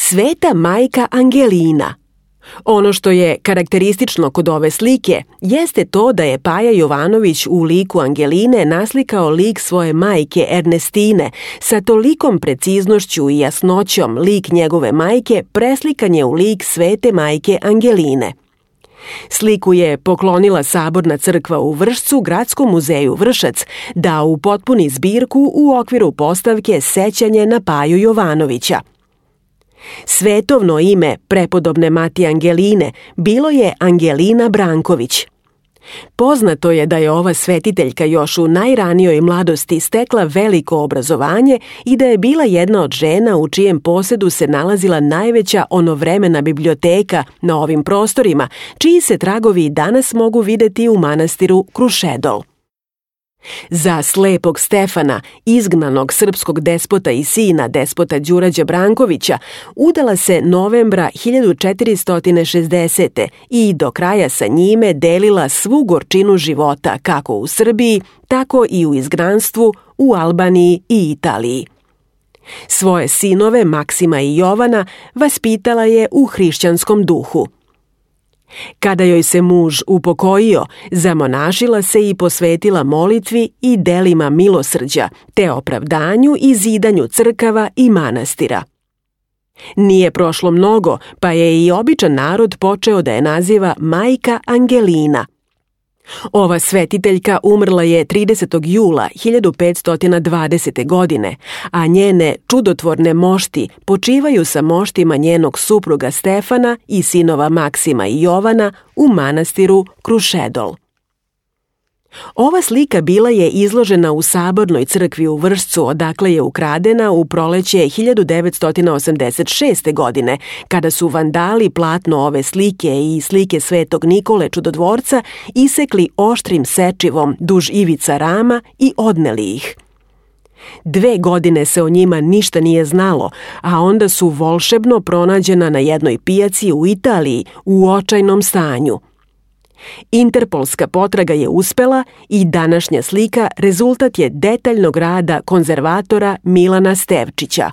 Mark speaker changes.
Speaker 1: Sveta majka Angelina. Ono što je karakteristično kod ove slike jeste to da je Paja Jovanović u liku Angeline naslikao lik svoje majke Ernestine, sa tolikom preciznošću i jasnoćom lik njegove majke preslikan je u lik svete majke Angeline. Sliku je poklonila Saborna crkva u Vršcu Gradskom muzeju Vršac da upotpuni zbirku u okviru postavke Sećanje na Paju Jovanovića. Svetovno ime prepodobne mati Angeline bilo je Angelina Branković. Poznato je da je ova svetiteljka još u najranijoj mladosti stekla veliko obrazovanje i da je bila jedna od žena u čijem posedu se nalazila najveća onovremena biblioteka na ovim prostorima, čiji se tragovi i danas mogu videti u manastiru Krušedol. Za slepog Stefana, izgnanog srpskog despota i sina despota Đurađa Brankovića, udala se novembra 1460. i do kraja sa njime delila svu gorčinu života kako u Srbiji, tako i u izgnanstvu, u Albaniji i Italiji. Svoje sinove, Maksima i Jovana, vaspitala je u hrišćanskom duhu. Kada joj se muž upokojio, zamonašila se i posvetila molitvi i delima milosrđa, te opravdanju i zidanju crkava i manastira. Nije prošlo mnogo, pa je i običan narod počeo da je naziva majka Angelina. Ova svetiteljka umrla je 30. jula 1520. godine, a njene čudotvorne mošti počivaju sa moštima njenog supruga Stefana i sinova Maksima i Jovana u manastiru Krušedol. Ova slika bila je izložena u Sabornoj crkvi u Vršcu, odakle je ukradena u proleće 1986. godine, kada su vandali platno ove slike i slike Svetog Nikole Čudotvorca isekli oštrim sečivom duž ivica rama i odneli ih. 2 godine se o njima ništa nije znalo, a onda su volšebno pronađena na jednoj pijaci u Italiji u očajnom stanju. Interpolska potraga je uspela i današnja slika rezultat je detaljnog rada konzervatora Milana Stevčića.